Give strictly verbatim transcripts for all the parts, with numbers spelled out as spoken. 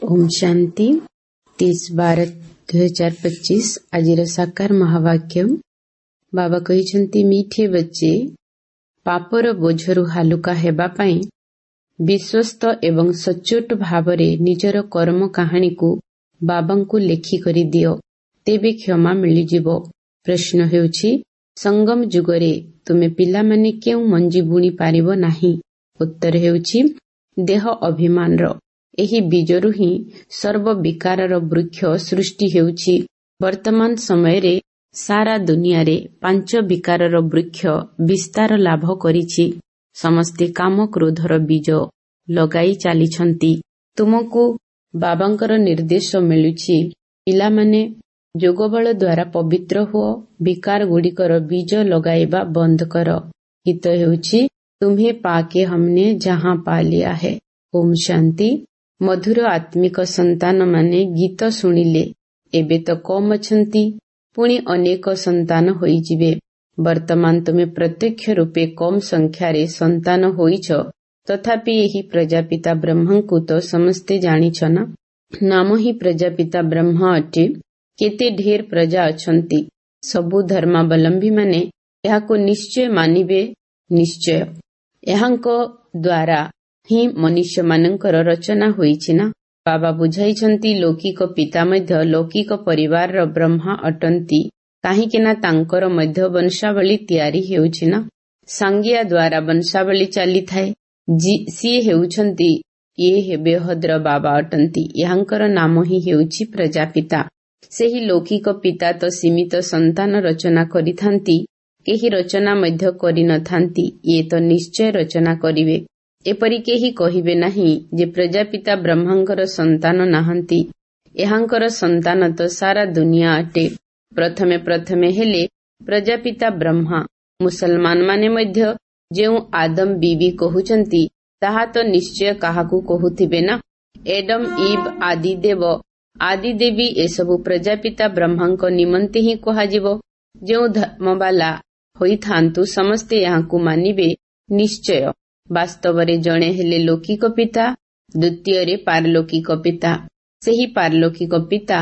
ଓମ୍ ଶାନ୍ତି। तीस ବାର ଦୁଇ ହଜାର ପଚିଶ ଆଜିର ସାକାର ମହାବାକ୍ୟ। ବାବା କହିଛନ୍ତି, ମିଠେ ବଚ୍ଚେ, ପାପର ବୋଝରୁ ହାଲୁକା ହେବା ପାଇଁ ବିଶ୍ୱସ୍ତ ଏବଂ ସଚ୍ଚୋଟ ଭାବରେ ନିଜର କର୍ମ କାହାଣୀକୁ ବାବାଙ୍କୁ ଲେଖିକରି ଦିଅ, ତେବେ କ୍ଷମା ମିଳିଯିବ। ପ୍ରଶ୍ନ ହେଉଛି, ସଙ୍ଗମ ଯୁଗରେ ତୁମେ ପିଲାମାନେ କେଉଁ ମଞ୍ଜି ବୁଣି ପାରିବ ନାହିଁ? ଉତ୍ତର ହେଉଛି, ଦେହ ଅଭିମାନର ଏହି ବୀଜରୁ ହିଁ ସର୍ବ ବିକାରର ବୃକ୍ଷ ସୃଷ୍ଟି ହେଉଛି। ବର୍ତ୍ତମାନ ସମୟରେ ସାରା ଦୁନିଆରେ ପାଞ୍ଚ ବିକାରର ବୃକ୍ଷ ବିସ୍ତାର ଲାଭ କରିଛି। ସମସ୍ତେ କାମ କ୍ରୋଧର ବୀଜ ଲଗାଇ ଚାଲିଛନ୍ତି। ତୁମକୁ ବାବାଙ୍କର ନିର୍ଦ୍ଦେଶ ମିଳୁଛି, ପିଲାମାନେ, ଯୋଗବଳ ଦ୍ୱାରା ପବିତ୍ର ହୁଅ, ବିକାର ଗୁଡ଼ିକର ବୀଜ ଲଗାଇବା ବନ୍ଦ କର। ଗୀତ ହେଉଛି, ତୁମ୍ହେ ପାକେ ହମନେ ଜହାଁ ପା ଲିଆ ହେ। ଓମ୍ ଶାନ୍ତି। ମଧୁର ଆତ୍ମିକ ସନ୍ତାନମାନେ ଗୀତ ଶୁଣିଲେ। ଏବେ ତ କମ୍ ଅଛନ୍ତି, ପୁଣି ଅନେକ ସନ୍ତାନ ହୋଇଯିବେ। ବର୍ତ୍ତମାନ ତୁମେ ପ୍ରତ୍ୟକ୍ଷ ରୂପେ କମ୍ ସଂଖ୍ୟାରେ ସନ୍ତାନ ହୋଇଛ, ତଥାପି ଏହି ପ୍ରଜାପିତା ବ୍ରହ୍ମାଙ୍କୁ ତ ସମସ୍ତେ ଜାଣିଛ ନା? ନାମ ହିଁ ପ୍ରଜାପିତା ବ୍ରହ୍ମା ଅଟେ। କେତେ ଢେର ପ୍ରଜା ଅଛନ୍ତି। ସବୁ ଧର୍ମାବଲମ୍ବୀମାନେ ଏହାକୁ ନିଶ୍ଚୟ ମାନିବେ। ନିଶ୍ଚୟ ଏହାଙ୍କ ଦ୍ୱାରା ହିଁ ମନୁଷ୍ୟମାନଙ୍କର ରଚନା ହୋଇଛି ନା? ବାବା ବୁଝାଇଛନ୍ତି, ଲୌକିକ ପିତା ମଧ୍ୟ ଲୌକିକ ପରିବାରର ବ୍ରହ୍ମା ଅଟନ୍ତି, କାହିଁକି ନା ତାଙ୍କର ମଧ୍ୟ ବଂଶାବଳୀ ତିଆରି ହେଉଛି ନା? ସାଙ୍ଗିଆ ଦ୍ୱାରା ବଂଶାବଳୀ ଚାଲିଥାଏ। ସିଏ ହେଉଛନ୍ତି, ଇଏ ବେହଦର ବାବା ଅଟନ୍ତି। ଏହାଙ୍କର ନାମ ହିଁ ହେଉଛି ପ୍ରଜାପିତା। ସେହି ଲୌକିକ ପିତା ତ ସୀମିତ ସନ୍ତାନ ରଚନା କରିଥାନ୍ତି, କେହି ରଚନା ମଧ୍ୟ କରିନଥାନ୍ତି। ଇଏ ତ ନିଶ୍ଚୟ ରଚନା କରିବେ। ଏପରି କେହି କହିବେ ନାହିଁ ଯେ ପ୍ରଜାପିତା ବ୍ରହ୍ମାଙ୍କର ସନ୍ତାନ ନାହାନ୍ତି। ଏହାଙ୍କର ସନ୍ତାନ ତ ସାରା ଦୁନିଆ ଅଟେ। ପ୍ରଥମେ ପ୍ରଥମେ ହେଲେ ପ୍ରଜାପିତା ବ୍ରହ୍ମା। ମୁସଲମାନମାନେ ମଧ୍ୟ ଯେଉଁ ଆଦମ ବିବି କହୁଛନ୍ତି, ତାହା ତ ନିଶ୍ଚୟ କାହାକୁ କହୁଥିବେ ନା? ଏଡମ ଇବ୍ ଆଦି ଦେବ ଆଦି ଦେବୀ, ଏସବୁ ପ୍ରଜାପିତା ବ୍ରହ୍ମାଙ୍କ ନିମନ୍ତେ ହିଁ କୁହାଯିବ। ଯେଉଁ ଧର୍ମବାଲା ହୋଇଥାନ୍ତୁ, ସମସ୍ତେ ଏହାକୁ ମାନିବେ ନିଶ୍ଚୟ। ବାସ୍ତବରେ ଜଣେ ହେଲେ ଲୌକିକ ପିତା, ଦ୍ୱିତୀୟରେ ପାରଲୌକିକ ପିତା। ସେହି ପାରଲୌକିକ ପିତା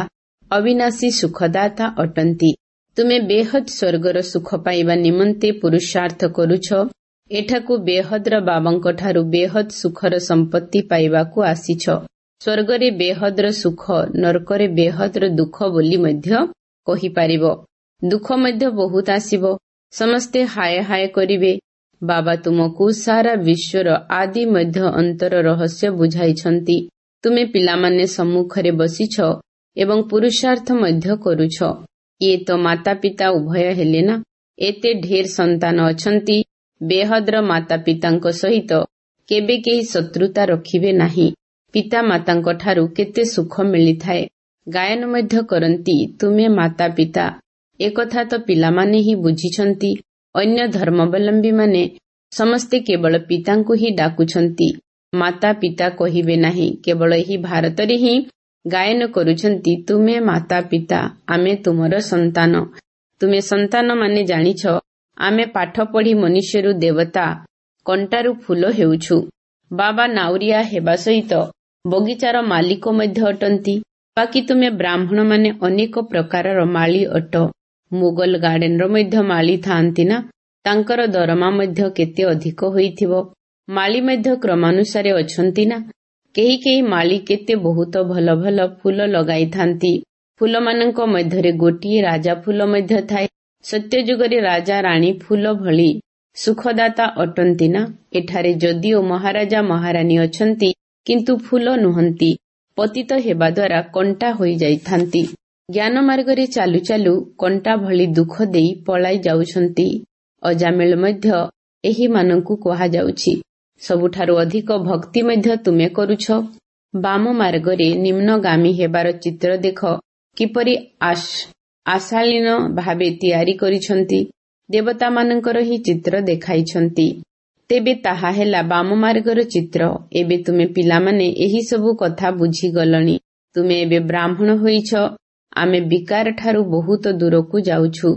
ଅବିନାଶୀ ସୁଖଦାତା ଅଟନ୍ତି। ତୁମେ ବେହଦ ସ୍ୱର୍ଗର ସୁଖ ପାଇବା ନିମନ୍ତେ ପୁରୁଷାର୍ଥ କରୁଛ। ଏଠାକୁ ବେହଦର ବାବାଙ୍କଠାରୁ ବେହଦ ସୁଖର ସମ୍ପତ୍ତି ପାଇବାକୁ ଆସିଛ। ସ୍ୱର୍ଗରେ ବେହଦର ସୁଖ, ନର୍କରେ ବେହଦର ଦୁଃଖ ବୋଲି ମଧ୍ୟ କହିପାରିବ। ଦୁଃଖ ମଧ୍ୟ ବହୁତ ଆସିବ, ସମସ୍ତେ ହାୟ ହାୟ କରିବେ। ବାବା ତୁମକୁ ସାରା ବିଶ୍ୱର ଆଦି ମଧ୍ୟ ଅନ୍ତର ରହସ୍ୟ ବୁଝାଇଛନ୍ତି। ତୁମେ ପିଲାମାନେ ସମ୍ମୁଖରେ ବସିଛ ଏବଂ ପୁରୁଷାର୍ଥ ମଧ୍ୟ କରୁଛ। ଇଏ ତ ମାତା ପିତା ଉଭୟ ହେଲେ ନା? ଏତେ ଢେର ସନ୍ତାନ ଅଛନ୍ତି। ବେହଦର ମାତା ପିତାଙ୍କ ସହିତ କେବେ କେହି ଶତ୍ରୁତା ରଖିବେ ନାହିଁ। ପିତା ମାତାଙ୍କ ଠାରୁ କେତେ ସୁଖ ମିଳିଥାଏ। ଗାୟନ ମଧ୍ୟ କରନ୍ତି, ତୁମେ ମାତା ପିତା। ଏକଥା ତ ପିଲାମାନେ ହିଁ ବୁଝିଛନ୍ତି। ଅନ୍ୟ ଧର୍ମାବଲମ୍ବୀମାନେ ସମସ୍ତେ କେବଳ ପିତାଙ୍କୁ ହିଁ ଡାକୁଛନ୍ତି, ମାତା ପିତା କହିବେ ନାହିଁ। କେବଳ ଏହି ଭାରତରେ ହିଁ ଗାୟନ କରୁଛନ୍ତି, ତୁମେ ମାତା ପିତା, ଆମେ ତୁମର ସନ୍ତାନ। ତୁମେ ସନ୍ତାନମାନେ ଜାଣିଛ, ଆମେ ପାଠ ପଢି ମନୁଷ୍ୟରୁ ଦେବତା, କଣ୍ଟାରୁ ଫୁଲ ହେଉଛୁ। ବାବା ନାଉରିଆ ହେବା ସହିତ ବଗିଚାର ମାଲିକ ମଧ୍ୟ ଅଟନ୍ତି। ବାକି ତୁମେ ବ୍ରାହ୍ମଣମାନେ ଅନେକ ପ୍ରକାରର ମାଳି ଅଟ। ମୁଗଲ ଗାର୍ଡେନର ମଧ୍ୟ ମାଳି ଥାଆନ୍ତି ନା? ତାଙ୍କର ଦରମା ମଧ୍ୟ କେତେ ଅଧିକ ହୋଇଥିବ। ମାଳି ମଧ୍ୟ କ୍ରମାନୁସାରେ ଅଛନ୍ତି ନା? କେହି କେହି ମାଳି କେତେ ବହୁତ ଭଲ ଭଲ ଫୁଲ ଲଗାଇଥାନ୍ତି। ଫୁଲମାନଙ୍କ ମଧ୍ୟରେ ଗୋଟିଏ ରାଜା ଫୁଲ ମଧ୍ୟ ଥାଏ। ସତ୍ୟଯୁଗରେ ରାଜା ରାଣୀ ଫୁଲ ଭଳି ସୁଖଦାତା ଅଟନ୍ତି ନା? ଏଠାରେ ଯଦିଓ ମହାରାଜା ମହାରାଣୀ ଅଛନ୍ତି, କିନ୍ତୁ ଫୁଲ ନୁହନ୍ତି। ପତିତ ହେବା ଦ୍ୱାରା କଣ୍ଟା ହୋଇଯାଇଥାନ୍ତି। ଜ୍ଞାନ ମାର୍ଗରେ ଚାଲୁ ଚାଲୁ କଣ୍ଟା ଭଳି ଦୁଃଖ ଦେଇ ପଳାଇ ଯାଉଛନ୍ତି। ଅଜାମିଳ ମଧ୍ୟ ଏହିମାନଙ୍କୁ କୁହାଯାଉଛି। ସବୁଠାରୁ ଅଧିକ ଭକ୍ତି ମଧ୍ୟ ତୁମେ କରୁଛ। ବାମ ମାର୍ଗରେ ନିମ୍ନଗାମୀ ହେବାର ଚିତ୍ର ଦେଖ, କିପରି ଆଶାଳୀନ ଭାବେ ତିଆରି କରିଛନ୍ତି। ଦେବତାମାନଙ୍କର ହିଁ ଚିତ୍ର ଦେଖାଇଛନ୍ତି। ତେବେ ତାହା ହେଲା ବାମ ମାର୍ଗର ଚିତ୍ର। ଏବେ ତୁମେ ପିଲାମାନେ ଏହି ସବୁ କଥା ବୁଝିଗଲଣି। ତୁମେ ଏବେ ବ୍ରାହ୍ମଣ ହୋଇଛ। ଆମେ ବିକାର ଠାରୁ ବହୁତ ଦୂରକୁ ଯାଉଛୁ।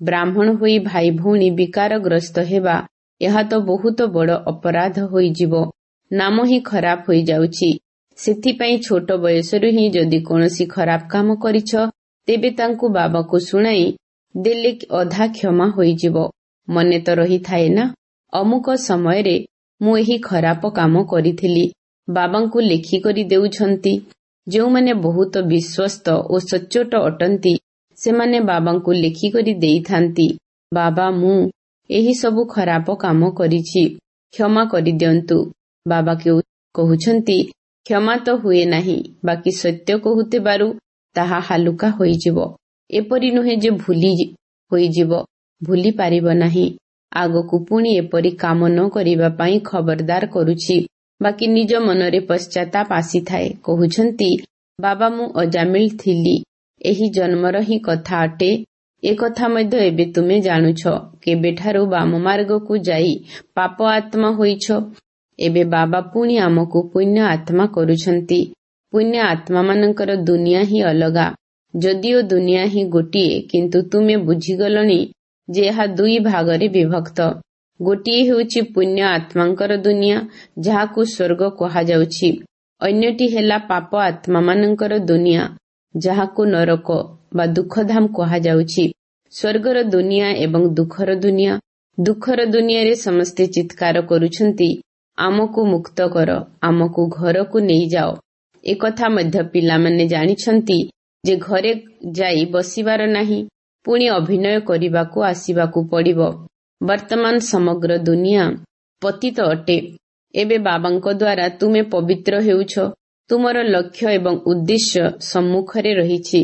ବ୍ରାହ୍ମଣ ହୋଇ ଭାଇ ଭଉଣୀ ବିକାରଗ୍ରସ୍ତ ହେବା, ଏହା ତ ବହୁତ ବଡ଼ ଅପରାଧ ହୋଇଯିବ। ନାମ ହିଁ ଖରାପ ହୋଇଯାଉଛି। ସେଥିପାଇଁ ଛୋଟ ବୟସରୁ ହିଁ ଯଦି କୌଣସି ଖରାପ କାମ କରିଛ, ତେବେ ତାଙ୍କୁ ବାବାକୁ ଶୁଣାଇ ଦେଲେ ଅଧା କ୍ଷମା ହୋଇଯିବ। ମନେ ତ ରହିଥାଏ ନା, ଅମୁକ ସମୟରେ ମୁଁ ଏହି ଖରାପ କାମ କରିଥିଲି। ବାବାଙ୍କୁ ଲେଖିକରି ଦେଉଛନ୍ତି। ଯେଉଁମାନେ ବହୁତ ବିଶ୍ୱସ୍ତ ଓ ସଚ୍ଚୋଟ ଅଟନ୍ତି, ସେମାନେ ବାବାଙ୍କୁ ଲେଖିକରି ଦେଇଥାନ୍ତି, ବାବା ମୁଁ ଏହି ସବୁ ଖରାପ କାମ କରିଛି, କ୍ଷମା କରିଦିଅନ୍ତୁ। ବାବା କହୁଛନ୍ତି, କ୍ଷମା ତ ହୁଏ ନାହିଁ, ବାକି ସତ୍ୟ କହୁଥିବାରୁ ତାହା ହାଲୁକା ହୋଇଯିବ। ଏପରି ନୁହେଁ ଯେ ଭୁଲି ହୋଇଯିବ, ଭୁଲି ପାରିବ ନାହିଁ। ଆଗକୁ ପୁଣି ଏପରି କାମ ନ କରିବା ପାଇଁ ଖବରଦାର କରୁଛି। ବାକି ନିଜ ମନରେ ପଶ୍ଚାତାପ ଆସିଥାଏ। କହୁଛନ୍ତି, ବାବା ମୁଁ ଅଜାମିଳ ଥିଲି, ଏହି ଜନ୍ମର ହିଁ କଥା ଅଟେ। ଏକଥା ମଧ୍ୟ ଏବେ ତୁମେ ଜାଣୁଛ। କେବେଠାରୁ ବାମ ମାର୍ଗକୁ ଯାଇ ପାପ ଆତ୍ମା ହୋଇଛ। ଏବେ ବାବା ପୁଣି ଆମକୁ ପୁଣ୍ୟ ଆତ୍ମା କରୁଛନ୍ତି। ପୁଣ୍ୟ ଆତ୍ମାମାନଙ୍କର ଦୁନିଆ ହିଁ ଅଲଗା। ଯଦିଓ ଦୁନିଆ ହିଁ ଗୋଟିଏ, କିନ୍ତୁ ତୁମେ ବୁଝିଗଲଣି ଯେ ଏହା ଦୁଇ ଭାଗରେ ବିଭକ୍ତ। ଗୋଟିଏ ହେଉଛି ପୁଣ୍ୟ ଆତ୍ମାଙ୍କର ଦୁନିଆ, ଯାହାକୁ ସ୍ୱର୍ଗ କୁହାଯାଉଛି। ଅନ୍ୟଟି ହେଲା ପାପ ଆତ୍ମାମାନଙ୍କର ଦୁନିଆ, ଯାହାକୁ ନରକ ବା ଦୁଃଖଧାମ କୁହାଯାଉଛି। ସ୍ୱର୍ଗର ଦୁନିଆ ଏବଂ ଦୁଃଖର ଦୁନିଆ। ଦୁଃଖର ଦୁନିଆରେ ସମସ୍ତେ ଚିତ୍କାର କରୁଛନ୍ତି, ଆମକୁ ମୁକ୍ତ କର, ଆମକୁ ଘରକୁ ନେଇଯାଅ। ଏକଥା ମଧ୍ୟ ପିଲାମାନେ ଜାଣିଛନ୍ତି ଯେ ଘରେ ଯାଇ ବସିବାର ନାହିଁ, ପୁଣି ଅଭିନୟ କରିବାକୁ ଆସିବାକୁ ପଡ଼ିବ। ବର୍ତ୍ତମାନ ସମଗ୍ର ଦୁନିଆ ପତିତ ଅଟେ। ଏବେ ବାବାଙ୍କ ଦ୍ୱାରା ତୁମେ ପବିତ୍ର ହେଉଛ। ତୁମର ଲକ୍ଷ୍ୟ ଏବଂ ଉଦ୍ଦେଶ୍ୟ ସମ୍ମୁଖରେ ରହିଛି।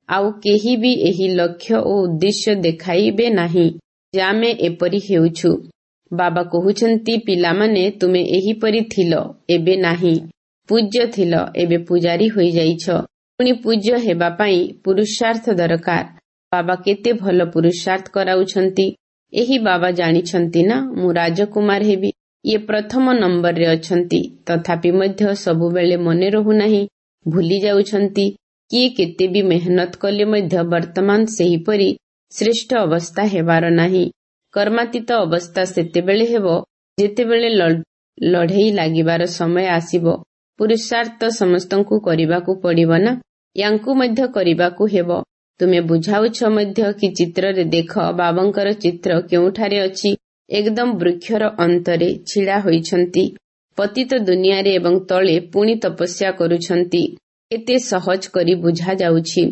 ଆଉ କେହି ବି ଏହି ଲକ୍ଷ୍ୟ ଓ ଉଦ୍ଦେଶ୍ୟ ଦେଖାଇବେ ନାହିଁ ଯେ ଆମେ ଏପରି ହେଉଛୁ। ବାବା କହୁଛନ୍ତି, ପିଲାମାନେ ତୁମେ ଏହିପରି ଥିଲ, ଏବେ ନାହିଁ। ପୂଜ୍ୟ ଥିଲ, ଏବେ ପୂଜାରୀ ହୋଇଯାଇଛ। ପୁଣି ପୂଜ୍ୟ ହେବା ପାଇଁ ପୁରୁଷାର୍ଥ ଦରକାର। ବାବା କେତେ ଭଲ ପୁରୁଷାର୍ଥ କରାଉଛନ୍ତି। ଏହି ବାବା ଜାଣିଛନ୍ତି ନା, ମୁଁ ରାଜକୁମାର ହେବି। ଇଏ ପ୍ରଥମ ନମ୍ବରରେ ଅଛନ୍ତି, ତଥାପି ମଧ୍ୟ ସବୁବେଳେ ମନେ ରହୁନାହିଁ, ଭୁଲି ଯାଉଛନ୍ତି। କିଏ କେତେ ବି ମେହନତ କଲେ ମଧ୍ୟ ବର୍ତ୍ତମାନ ସେହିପରି ଶ୍ରେଷ୍ଠ ଅବସ୍ଥା ହେବାର ନାହିଁ। କର୍ମାତୀତ ଅବସ୍ଥା ସେତେବେଳେ ହେବ ଯେତେବେଳେ ଲଢ଼େଇ ଲାଗିବାର ସମୟ ଆସିବ। ପୁରୁଷାର୍ଥ ସମସ୍ତଙ୍କୁ କରିବାକୁ ପଡ଼ିବ ନା, ୟାଙ୍କୁ ମଧ୍ୟ କରିବାକୁ ହେବ। ତୁମେ ବୁଝାଉଛ ମଧ୍ୟ କି ଚିତ୍ରରେ ଦେଖ, ବାବାଙ୍କର ଚିତ୍ର କେଉଁଠାରେ ଅଛି। ଏକଦମ ବୃକ୍ଷର ଅନ୍ତରେ ଛିଡ଼ା ହୋଇଛନ୍ତି ପତିତ ଦୁନିଆରେ ଏବଂ ତଳେ ପୁଣି ତପସ୍ୟା କରୁଛନ୍ତି। କେତେ ସହଜ କରି ବୁଝାଯାଉଛି।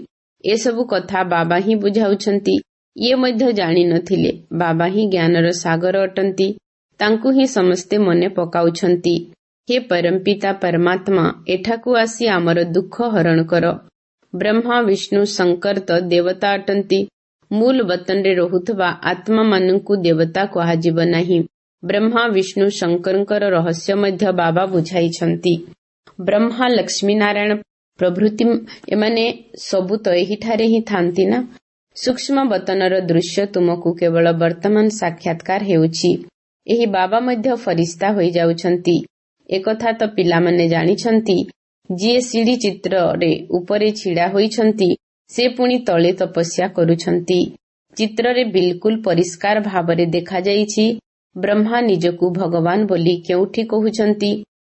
ଏସବୁ କଥା ବାବା ହିଁ ବୁଝାଉଛନ୍ତି। ଇଏ ମଧ୍ୟ ଜାଣିନଥିଲେ। ବାବା ହିଁ ଜ୍ଞାନର ସାଗର ଅଟନ୍ତି, ତାଙ୍କୁ ହିଁ ସମସ୍ତେ ମନେ ପକାଉଛନ୍ତି। ହେ ପରମପିତା ପରମାତ୍ମା, ଏଠାକୁ ଆସି ଆମର ଦୁଃଖ ହରଣ କର। ବ୍ରହ୍ମା, ବିଷ୍ଣୁ, ଶଙ୍କର ତ ଦେବତା ଅଟନ୍ତି। ମୂଳ ବତନରେ ରହୁଥିବା ଆତ୍ମାମାନଙ୍କୁ ଦେବତା କୁହାଯିବ ନାହିଁ। ବ୍ରହ୍ମା, ବିଷ୍ଣୁ, ଶଙ୍କରଙ୍କର ରହସ୍ୟ ମଧ୍ୟ ବାବା ବୁଝାଇଛନ୍ତି। ବ୍ରହ୍ମା, ଲକ୍ଷ୍ମୀ ନାରାୟଣ ପ୍ରଭୃତି ଏମାନେ ସବୁ ତ ଏହିଠାରେ ହିଁ ଥାନ୍ତି ନା। ସୂକ୍ଷ୍ମ ବତନର ଦୃଶ୍ୟ ତୁମକୁ କେବଳ ବର୍ତ୍ତମାନ ସାକ୍ଷାତକାର ହେଉଛି। ଏହି ବାବା ମଧ୍ୟ ଫରିସ୍ତା ହୋଇଯାଉଛନ୍ତି। ଏକଥା ତ ପିଲାମାନେ ଜାଣିଛନ୍ତି। ଯିଏ ସିଡ଼ି ଚିତ୍ରରେ ଉପରେ ଛିଡ଼ା ହୋଇଛନ୍ତି, ସେ ପୁଣି ତଳେ ତପସ୍ୟା କରୁଛନ୍ତି। ଚିତ୍ରରେ ବିଲକୁଲ ପରିଷ୍କାର ଭାବରେ ଦେଖାଯାଇଛି। ବ୍ରହ୍ମା ନିଜକୁ ଭଗବାନ ବୋଲି କେଉଁଠି କହୁଛନ୍ତି?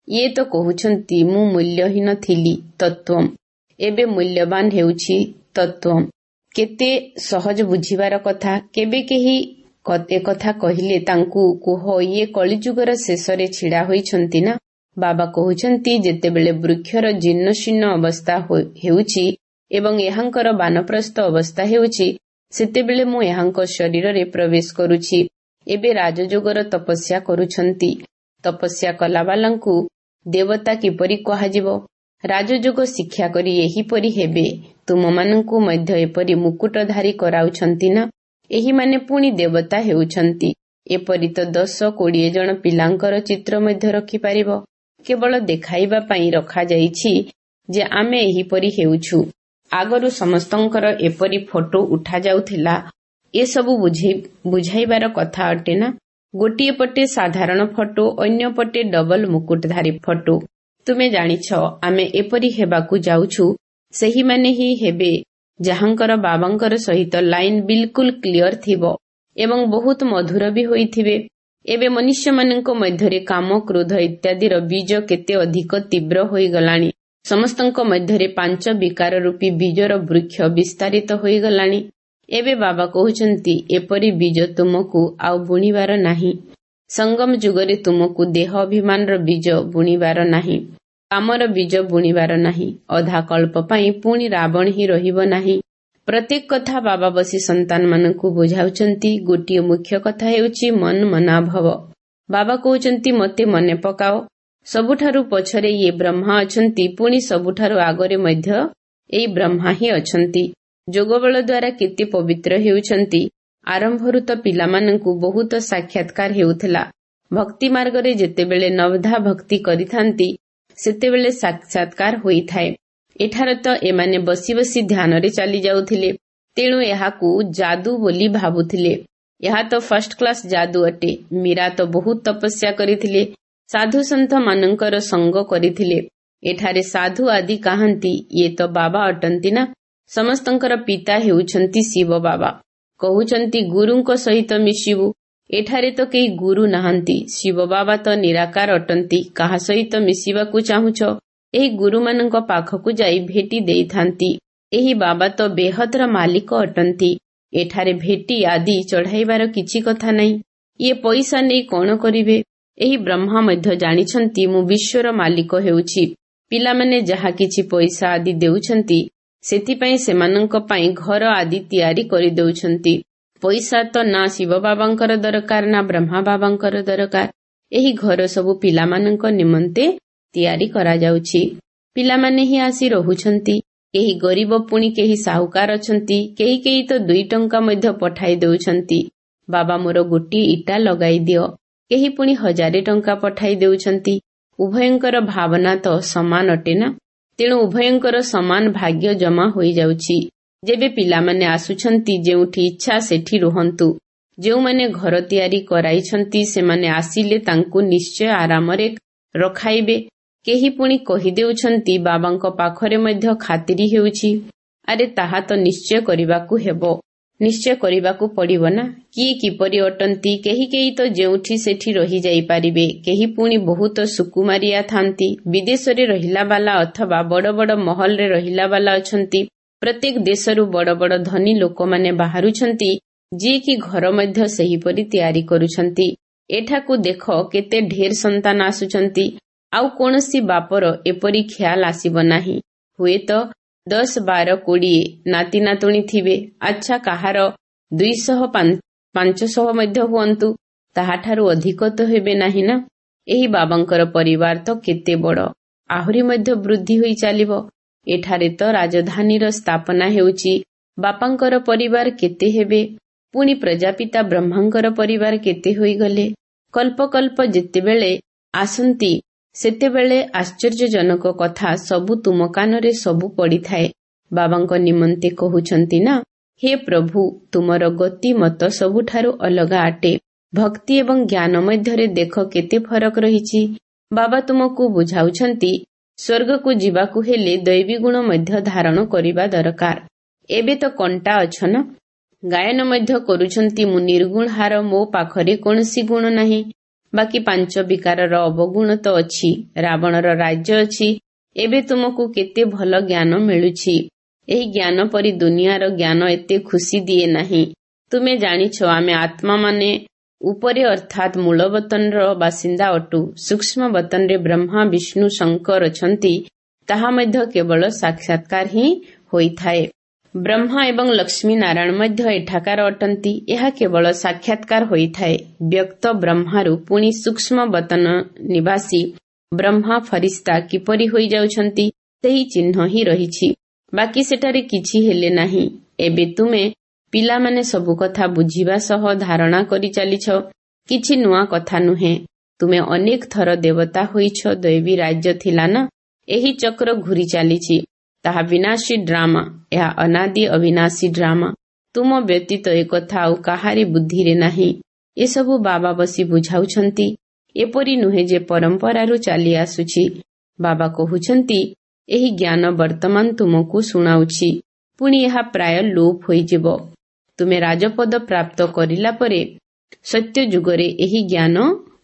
ଇଏ ତ କହୁଛନ୍ତି ମୁଁ ମୂଲ୍ୟହୀନ ଥିଲି ତତ୍ତ୍ୱମ୍, ଏବେ ମୂଲ୍ୟବାନ ହେଉଛି ତତ୍ତ୍ୱମ୍। କେତେ ସହଜ ବୁଝିବାର କଥା। କେବେ କେହି ଏକଥା କହିଲେ ତାଙ୍କୁ କୁହ, ଇଏ କଳିଯୁଗର ଶେଷରେ ଛିଡ଼ା ହୋଇଛନ୍ତି ନା। ବାବା କହୁଛନ୍ତି, ଯେତେବେଳେ ବୃକ୍ଷର ଜୀର୍ଣ୍ଣଶୀର୍ଣ୍ଣ ଅବସ୍ଥା ହେଉଛି ଏବଂ ଏହାଙ୍କର ବାନପ୍ରସ୍ଥ ଅବସ୍ଥା ହେଉଛି, ସେତେବେଳେ ମୁଁ ଏହାଙ୍କ ଶରୀରରେ ପ୍ରବେଶ କରୁଛି। ଏବେ ରାଜଯୋଗର ତପସ୍ୟା କରୁଛନ୍ତି। ତପସ୍ୟା କଲାବାଲାଙ୍କୁ ଦେବତା କିପରି କୁହାଯିବ? ରାଜଯୋଗ ଶିକ୍ଷା କରି ଏହିପରି ହେବେ। ତୁମମାନଙ୍କୁ ମଧ୍ୟ ଏପରି ମୁକୁଟଧାରୀ କରାଉଛନ୍ତି ନା। ଏହିମାନେ ପୁଣି ଦେବତା ହେଉଛନ୍ତି। ଏପରି ତ ଦଶ କୋଡ଼ିଏ ଜଣ ପିଲାଙ୍କର ଚିତ୍ର ମଧ୍ୟ ରଖିପାରିବ। କେବଳ ଦେଖାଇବା ପାଇଁ ରଖାଯାଇଛି ଯେ ଆମେ ଏହିପରି ହେଉଛୁ। ଆଗରୁ ସମସ୍ତଙ୍କର ଏପରି ଫଟୋ ଉଠାଯାଉଥିଲା। ଏସବୁ ବୁଝାଇବାର କଥା ଅଟେ ନା। ଗୋଟିଏ ପଟେ ସାଧାରଣ ଫଟୋ, ଅନ୍ୟ ପଟେ ଡବଲ ମୁକୁଟଧାରୀ ଫଟୋ। ତୁମେ ଜାଣିଛ ଆମେ ଏପରି ହେବାକୁ ଯାଉଛୁ। ସେହିମାନେ ହିଁ ହେବେ ଯାହାଙ୍କର ବାବାଙ୍କର ସହିତ ଲାଇନ ବିଲକୁଲ କ୍ଲିଅର ଥିବ ଏବଂ ବହୁତ ମଧୁର ବି ହୋଇଥିବେ। ଏବେ ମନୁଷ୍ୟମାନଙ୍କ ମଧ୍ୟରେ କାମ, କ୍ରୋଧ ଇତ୍ୟାଦିର ବୀଜ କେତେ ଅଧିକ ତୀବ୍ର ହୋଇଗଲାଣି। ସମସ୍ତଙ୍କ ମଧ୍ୟରେ ପାଞ୍ଚ ବିକାର ରୂପୀ ବୀଜର ବୃକ୍ଷ ବିସ୍ତାରିତ ହୋଇଗଲାଣି। ଏବେ ବାବା କହୁଛନ୍ତି, ଏପରି ବୀଜ ତୁମକୁ ଆଉ ବୁଣିବାର ନାହିଁ। ସଙ୍ଗମ ଯୁଗରେ ତୁମକୁ ଦେହ ଅଭିମାନର ବୀଜ ବୁଣିବାର ନାହିଁ, କାମର ବୀଜ ବୁଣିବାର ନାହିଁ। ଅଧା କଳ୍ପ ପାଇଁ ପୁଣି ରାବଣ ହିଁ ରହିବ ନାହିଁ। ପ୍ରତ୍ୟେକ କଥା ବାବା ବସି ସନ୍ତାନମାନଙ୍କୁ ବୁଝାଉଛନ୍ତି। ଗୋଟିଏ ମୁଖ୍ୟ କଥା ହେଉଛି ମନ ମନାଭବ। ବାବା କହୁଛନ୍ତି, ମୋତେ ମନେ ପକାଅ। ସବୁଠାରୁ ପଛରେ ଇଏ ବ୍ରହ୍ମା ଅଛନ୍ତି, ପୁଣି ସବୁଠାରୁ ଆଗରେ ମଧ୍ୟ ଏଇ ବ୍ରହ୍ମା ହିଁ ଅଛନ୍ତି। ଯୋଗବଳ ଦ୍ୱାରା କେତେ ପବିତ୍ର ହେଉଛନ୍ତି। ଆରମ୍ଭରୁ ତ ପିଲାମାନଙ୍କୁ ବହୁତ ସାକ୍ଷାତକାର ହେଉଥିଲା। ଭକ୍ତି ମାର୍ଗରେ ଯେତେବେଳେ ନବଧା ଭକ୍ତି କରିଥାନ୍ତି, ସେତେବେଳେ ସାକ୍ଷାତକାର ହୋଇଥାଏ। ଏଠାରେ ତ ଏମାନେ ବସି ବସି ଧ୍ୟାନରେ ଚାଲି ଯାଉଥିଲେ, ତେଣୁ ଏହାକୁ ଯାଦୁ ବୋଲି ଭାବୁଥିଲେ। ଏହା ତ ଫାର୍ଷ୍ଟ କ୍ଲାସ ଯାଦୁ ଅଟେ। ମୀରା ତ ବହୁତ ତପସ୍ୟା କରିଥିଲେ, ସାଧୁ ସନ୍ଥ ମାନଙ୍କର ସଙ୍ଗ କରିଥିଲେ। ଏଠାରେ ସାଧୁ ଆଦି କାହାନ୍ତି? ଇଏ ତ ବାବା ଅଟନ୍ତି ନା। ସମସ୍ତଙ୍କର ପିତା ହେଉଛନ୍ତି ଶିବ ବାବା। କହୁଛନ୍ତି ଗୁରୁଙ୍କ ସହିତ ମିଶିବୁ। ଏଠାରେ ତ କେହି ଗୁରୁ ନାହାନ୍ତି। ଶିବ ବାବା ତ ନିରାକାର ଅଟନ୍ତି। କାହା ସହିତ ମିଶିବାକୁ ଚାହୁଁଛ? ଏହି ଗୁରୁମାନଙ୍କ ପାଖକୁ ଯାଇ ଭେଟି ଦେଇଥାନ୍ତି। ଏହି ବାବା ତ ବେହଦର ମାଲିକ ଅଟନ୍ତି। ଏଠାରେ ଭେଟି ଆଦି ଚଢାଇବାର କିଛି କଥା ନାହିଁ। ଇଏ ପଇସା ନେଇ କଣ କରିବେ? ଏହି ବ୍ରହ୍ମା ମଧ୍ୟ ଜାଣିଛନ୍ତି ମୁଁ ବିଶ୍ୱର ମାଲିକ ହେଉଛି। ପିଲାମାନେ ଯାହା କିଛି ପଇସା ଆଦି ଦେଉଛନ୍ତି, ସେଥିପାଇଁ ସେମାନଙ୍କ ପାଇଁ ଘର ଆଦି ତିଆରି କରିଦେଉଛନ୍ତି। ପଇସା ତ ନା ଶିବ ବାବାଙ୍କର ଦରକାର, ନା ବ୍ରହ୍ମା ବାବାଙ୍କର ଦରକାର। ଏହି ଘର ସବୁ ପିଲାମାନଙ୍କ ନିମନ୍ତେ ତିଆରି କରାଯାଉଛି। ପିଲାମାନେ ହିଁ ଆସି ରହୁଛନ୍ତି। କେହି ଗରିବ, ପୁଣି କେହି ସାହୁକାର ଅଛନ୍ତି। କେହି କେହି ତ ଦୁଇ ଟଙ୍କା ମଧ୍ୟ ପଠାଇ ଦେଉଛନ୍ତି, ବାବା ମୋର ଗୋଟିଏ ଇଟା ଲଗାଇ ଦିଅ। କେହି ପୁଣି ହଜାରେ ଟଙ୍କା ପଠାଇ ଦେଉଛନ୍ତି। ଉଭୟଙ୍କର ଭାବନା ତ ସମାନ ଅଟେ ନା, ତେଣୁ ଉଭୟଙ୍କର ସମାନ ଭାଗ୍ୟ ଜମା ହୋଇଯାଉଛି। ଯେବେ ପିଲାମାନେ ଆସୁଛନ୍ତି, ଯେଉଁଠି ଇଚ୍ଛା ସେଠି ରୁହନ୍ତୁ। ଯେଉଁମାନେ ଘର ତିଆରି କରାଇଛନ୍ତି, ସେମାନେ ଆସିଲେ ତାଙ୍କୁ ନିଶ୍ଚୟ ଆରାମରେ ରଖାଇବେ। କେହି ପୁଣି କହିଦେଉଛନ୍ତି ବାବାଙ୍କ ପାଖରେ ମଧ୍ୟ ଖାତିରି ହେଉଛି। ଆରେ ତାହା ତ ନିଶ୍ଚୟ କରିବାକୁ ହେବ, ନିଶ୍ଚୟ କରିବାକୁ ପଡିବ ନା। କିଏ କିପରି ଅଟନ୍ତି? କେହି କେହି ତ ଯେଉଁଠି ସେଠି ରହିଯାଇପାରିବେ, କେହି ପୁଣି ବହୁତ ସୁକୁମାରିଆ ଥାନ୍ତି। ବିଦେଶରେ ରହିଲା ବାଲା ଅଥବା ବଡ ବଡ ମହଲରେ ରହିଲା ବାଲା ଅଛନ୍ତି। ପ୍ରତ୍ୟେକ ଦେଶରୁ ବଡ ବଡ ଧନୀ ଲୋକମାନେ ବାହାରୁଛନ୍ତି, ଯିଏକି ଘର ମଧ୍ୟ ସେହିପରି ତିଆରି କରୁଛନ୍ତି। ଏଠାକୁ ଦେଖ କେତେ ଢେର ସନ୍ତାନ ଆସୁଛନ୍ତି। ଆଉ କୌଣସି ବାପର ଏପରି ଖିଆଲ ଆସିବ ନାହିଁ। ହୁଏତ ଦଶ ବାର କୋଡ଼ିଏ ନାତି ନାତୁଣୀ ଥିବେ। ଆଚ୍ଛା, କାହାର ଦୁଇଶହ ପାଞ୍ଚଶହ ମଧ୍ୟ ହୁଅନ୍ତୁ, ତାହାଠାରୁ ଅଧିକ ତ ହେବେ ନାହିଁ ନା। ଏହି ବାବାଙ୍କର ପରିବାର ତ କେତେ ବଡ, ଆହୁରି ମଧ୍ୟ ବୃଦ୍ଧି ହୋଇ ଚାଲିବ। ଏଠାରେ ତ ରାଜଧାନୀର ସ୍ଥାପନା ହେଉଛି। ବାପାଙ୍କର ପରିବାର କେତେ ହେବେ? ପୁଣି ପ୍ରଜାପିତା ବ୍ରହ୍ମାଙ୍କର ପରିବାର କେତେ ହୋଇଗଲେ? କଳ୍ପ କଳ୍ପ ଯେତେବେଳେ ଆସନ୍ତି, ସେତେବେଳେ ଆଶ୍ଚର୍ଯ୍ୟଜନକ କଥା ସବୁ ତୁମ କାନରେ ସବୁ ପଡିଥାଏ। ବାବାଙ୍କ ନିମନ୍ତେ କହୁଛନ୍ତି ନା, ହେ ପ୍ରଭୁ, ତୁମର ଗତି ମତ ସବୁଠାରୁ ଅଲଗା ଅଟେ। ଭକ୍ତି ଏବଂ ଜ୍ଞାନ ମଧ୍ୟରେ ଦେଖ କେତେ ଫରକ ରହିଛି। ବାବା ତୁମକୁ ବୁଝାଉଛନ୍ତି, ସ୍ୱର୍ଗକୁ ଯିବାକୁ ହେଲେ ଦୈବୀ ଗୁଣ ମଧ୍ୟ ଧାରଣ କରିବା ଦରକାର। ଏବେ ତ କଣ୍ଟା ଅଛ ନା। ଗାୟନ ମଧ୍ୟ କରୁଛନ୍ତି, ମୁଁ ନିର୍ଗୁଣ ହାର, ମୋ ପାଖରେ କୌଣସି ଗୁଣ ନାହିଁ। ବାକି ପାଞ୍ଚ ବିକାରର ଅବଗୁଣ ତ ଅଛି, ରାବଣର ରାଜ୍ୟ ଅଛି। ଏବେ ତୁମକୁ କେତେ ଭଲ ଜ୍ଞାନ ମିଳୁଛି। ଏହି ଜ୍ଞାନ ପରି ଦୁନିଆର ଜ୍ଞାନ ଏତେ ଖୁସି ଦିଏ ନାହିଁ। ତୁମେ ଜାଣିଛ ଆମେ ଆତ୍ମାମାନେ ଉପରେ ଅର୍ଥାତ୍ ମୂଳ ବତନର ବାସିନ୍ଦା ଅଟୁ। ସୂକ୍ଷ୍ମ ବତନରେ ବ୍ରହ୍ମା, ବିଷ୍ଣୁ, ଶଙ୍କର ଅଛନ୍ତି, ତାହା ମଧ୍ୟ କେବଳ ସାକ୍ଷାତକାର ହିଁ ହୋଇଥାଏ। ବ୍ରହ୍ମା ଏବଂ ଲକ୍ଷ୍ମୀ ନାରାୟଣ ମଧ୍ୟ ଏଠାକାର ଅଟନ୍ତି। ଏହା କେବଳ ସାକ୍ଷାତକାର ହୋଇଥାଏ। ବ୍ୟକ୍ତ ବ୍ରହ୍ମାରୁ ପୁଣି ସୂକ୍ଷ୍ମ ବତନ ନିବାସୀ ବ୍ରହ୍ମା ଫରିସ୍ତା କିପରି ହୋଇଯାଉଛନ୍ତି, ସେହି ଚିହ୍ନ ହିଁ ରହିଛି। ବାକି ସେଠାରେ କିଛି ହେଲେ ନାହିଁ। ଏବେ ତୁମେ ପିଲାମାନେ ସବୁ କଥା ବୁଝିବା ସହ ଧାରଣା କରି ଚାଲିଛ। କିଛି ନୂଆ କଥା ନୁହେଁ। ତୁମେ ଅନେକ ଥର ଦେବତା ହୋଇଛ। ଦୈବୀ ରାଜ୍ୟ ଥିଲା ନା, ଏହି ଚକ୍ର ଘୁରି ଚାଲିଛି। ତାହା ବିନାଶୀ ଡ୍ରାମା, ଏହା ଅନାଦି ଅବିନାଶୀ ଡ୍ରାମା। ତୁମ ବ୍ୟତୀତ ଏକଥା ଆଉ କାହାରି ବୁଦ୍ଧିରେ ନାହିଁ। ଏସବୁ ବାବା ବସି ବୁଝାଉଛନ୍ତି। ଏପରି ନୁହେଁ ଯେ ପରମ୍ପରାରୁ ଚାଲି ଆସୁଛି। ବାବା କହୁଛନ୍ତି, ଏହି ଜ୍ଞାନ ବର୍ତ୍ତମାନ ତୁମକୁ ଶୁଣାଉଛି, ପୁଣି ଏହା ପ୍ରାୟ ଲୋପ ହୋଇଯିବ। ତୁମେ ରାଜପଦ ପ୍ରାପ୍ତ କରିଲା ପରେ ସତ୍ୟ ଯୁଗରେ ଏହି ଜ୍ଞାନ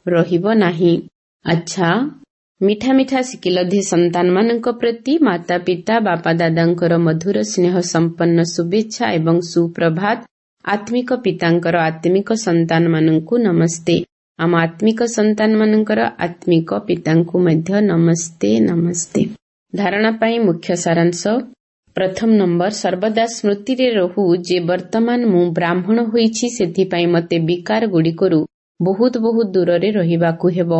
ରହିବ ନାହିଁ। ଆଚ୍ଛା, ମିଠା ମିଠା ସିକିଲଧି ସନ୍ତାନମାନଙ୍କ ପ୍ରତି ମାତା ପିତା ବାପା ଦାଦାଙ୍କର ମଧୁର ସ୍ନେହ ସମ୍ପନ୍ନ ଶୁଭେଚ୍ଛା ଏବଂ ସୁପ୍ରଭାତ। ଆତ୍ମିକ ପିତାଙ୍କର ଆତ୍ମିକ ସନ୍ତାନମାନଙ୍କୁ ନମସ୍ତେ। ଆମ ଆତ୍ମିକ ସନ୍ତାନମାନଙ୍କର ଆତ୍ମିକ ପିତାଙ୍କୁ ମଧ୍ୟ ନମସ୍ତେ ନମସ୍ତେ। ଧାରଣା ପାଇଁ ମୁଖ୍ୟ ସାରାଂଶ। ପ୍ରଥମ ନମ୍ବର, ସର୍ବଦା ସ୍ମୃତିରେ ରହୁ ଯେ ବର୍ତ୍ତମାନ ମୁଁ ବ୍ରାହ୍ମଣ ହୋଇଛି, ସେଥିପାଇଁ ମୋତେ ବିକାର ଗୁଡ଼ିକରୁ ବହୁତ ବହୁତ ଦୂରରେ ରହିବାକୁ ହେବ।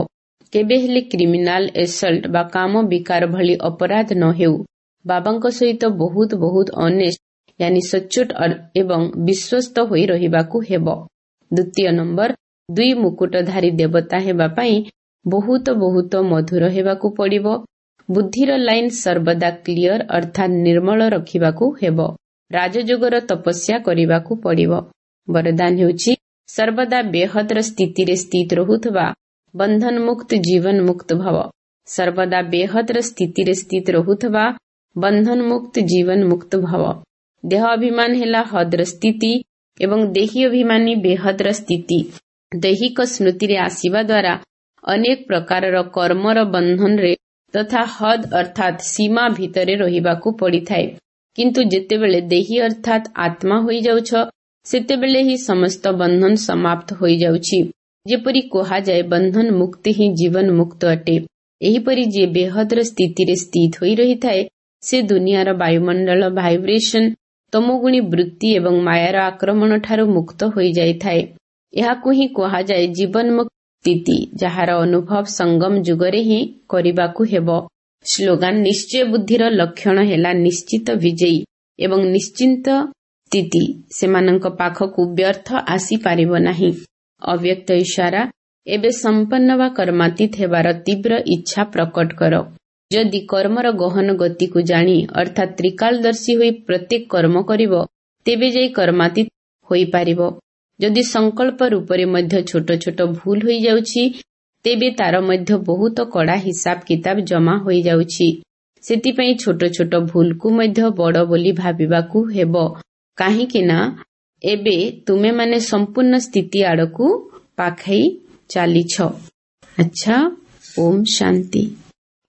କେବେ ହେଲେ କ୍ରିମିନାଲ ଏସଲ୍ଟ ବା କାମ ବିକାର ଭଳି ଅପରାଧ ନ ହେଉ। ବାବାଙ୍କ ସହିତ ବହୁତ ବହୁତ ଅନେଷ୍ଟ ୟାନି ସଚ୍ଚୋଟ ଏବଂ ବିଶ୍ୱସ୍ତ ହୋଇ ରହିବାକୁ ହେବ। ଦ୍ୱିତୀୟ ନମ୍ବର, ଦୁଇ ମୁକୁଟଧାରୀ ଦେବତା ହେବା ପାଇଁ ବହୁତ ବହୁତ ମଧୁର ହେବାକୁ ପଡ଼ିବ। ବୁଦ୍ଧିର ଲାଇନ ସର୍ବଦା କ୍ଲିୟର ଅର୍ଥାତ୍ ନିର୍ମଳ ରଖିବାକୁ ହେବ। ରାଜଯୋଗର ତପସ୍ୟା କରିବାକୁ ପଡ଼ିବ। ବରଦାନ ହେଉଛି ସର୍ବଦା ବେହଦର ସ୍ଥିତିରେ ସ୍ଥିତ ରହୁଥିବା ବନ୍ଧନ ମୁକ୍ତ ଜୀବନ ମୁକ୍ତ ଭବ। ସର୍ବଦା ବେହଦର ସ୍ଥିତିରେ ସ୍ଥିତ ରହୁଥିବା ବନ୍ଧନ ମୁକ୍ତ ଜୀବନ ମୁକ୍ତ ଭବ। ଦେହ ଅଭିମାନ ହେଲା ହଦର ସ୍ଥିତି ଏବଂ ଦେହୀ ଅଭିମାନୀ ବେହଦର ସ୍ଥିତି। ଦୈହିକ ସ୍ମୃତିରେ ଆସିବା ଦ୍ୱାରା ଅନେକ ପ୍ରକାରର କର୍ମର ବନ୍ଧନରେ ତଥା ହଦ୍ ଅର୍ଥାତ୍ ସୀମା ଭିତରେ ରହିବାକୁ ପଡ଼ିଥାଏ। କିନ୍ତୁ ଯେତେବେଳେ ଦେହୀ ଅର୍ଥାତ୍ ଆତ୍ମା ହୋଇଯାଉଛ, ସେତେବେଳେ ହିଁ ସମସ୍ତ ବନ୍ଧନ ସମାପ୍ତ ହୋଇଯାଉଛି। ଯେପରି କୁହାଯାଏ ବନ୍ଧନ ମୁକ୍ତି ହିଁ ଜୀବନ ମୁକ୍ତ ଅଟେ। ଏହିପରି ଯିଏ ବେହଦର ସ୍ଥିତିରେ ସ୍ଥିତ ହୋଇ ରହିଥାଏ, ସେ ଦୁନିଆର ବାୟୁମଣ୍ଡଳ ଭାଇବ୍ରେସନ, ତମୋଗୁଣୀ ବୃତ୍ତି ଏବଂ ମାୟାର ଆକ୍ରମଣ ଠାରୁ ମୁକ୍ତ ହୋଇଯାଇଥାଏ। ଏହାକୁ ହିଁ କୁହାଯାଏ ଜୀବନ ମୁକ୍ତ ସ୍ଥିତି, ଯାହାର ଅନୁଭବ ସଙ୍ଗମ ଯୁଗରେ ହିଁ କରିବାକୁ ହେବ। ସ୍ଲୋଗାନ, ନିଶ୍ଚୟ ବୁଦ୍ଧିର ଲକ୍ଷଣ ହେଲା ନିଶ୍ଚିତ ବିଜୟୀ ଏବଂ ନିଶ୍ଚିନ୍ତ ସ୍ଥିତି। ସେମାନଙ୍କ ପାଖକୁ ବ୍ୟର୍ଥ ଆସିପାରିବ ନାହିଁ। ଅବ୍ୟକ୍ତ ଇଶାରା, ଏବେ ସମ୍ପନ୍ନ ବା କର୍ମାତୀତ ହେବାର ତୀବ୍ର ଇଚ୍ଛା ପ୍ରକଟ କର। ଯଦି କର୍ମର ଗହନ ଗତିକୁ ଜାଣି ଅର୍ଥାତ୍ ତ୍ରିକାଳଦର୍ଶୀ ହୋଇ ପ୍ରତ୍ୟେକ କର୍ମ କରିବ, ତେବେ ଯାଇ କର୍ମାତୀତ ହୋଇପାରିବ। ଯଦି ସଂକଳ୍ପ ରୂପରେ ମଧ୍ୟ ଛୋଟ ଛୋଟ ଭୁଲ ହୋଇଯାଉଛି, ତେବେ ତାର ମଧ୍ୟ ବହୁତ କଡ଼ା ହିସାବ କିତାବ ଜମା ହୋଇଯାଉଛି। ସେଥିପାଇଁ ଛୋଟ ଛୋଟ ଭୁଲକୁ ମଧ୍ୟ ବଡ଼ ବୋଲି ଭାବିବାକୁ ହେବ, କାହିଁକି ନା ଏବେ ତୁମେମାନେ ସମ୍ପୂର୍ଣ୍ଣ ସ୍ଥିତି ଆଡ଼କୁ ପାଖେଇ ଚାଲିଛ। ଆଚ୍ଛା, ଓମ୍ ଶାନ୍ତି।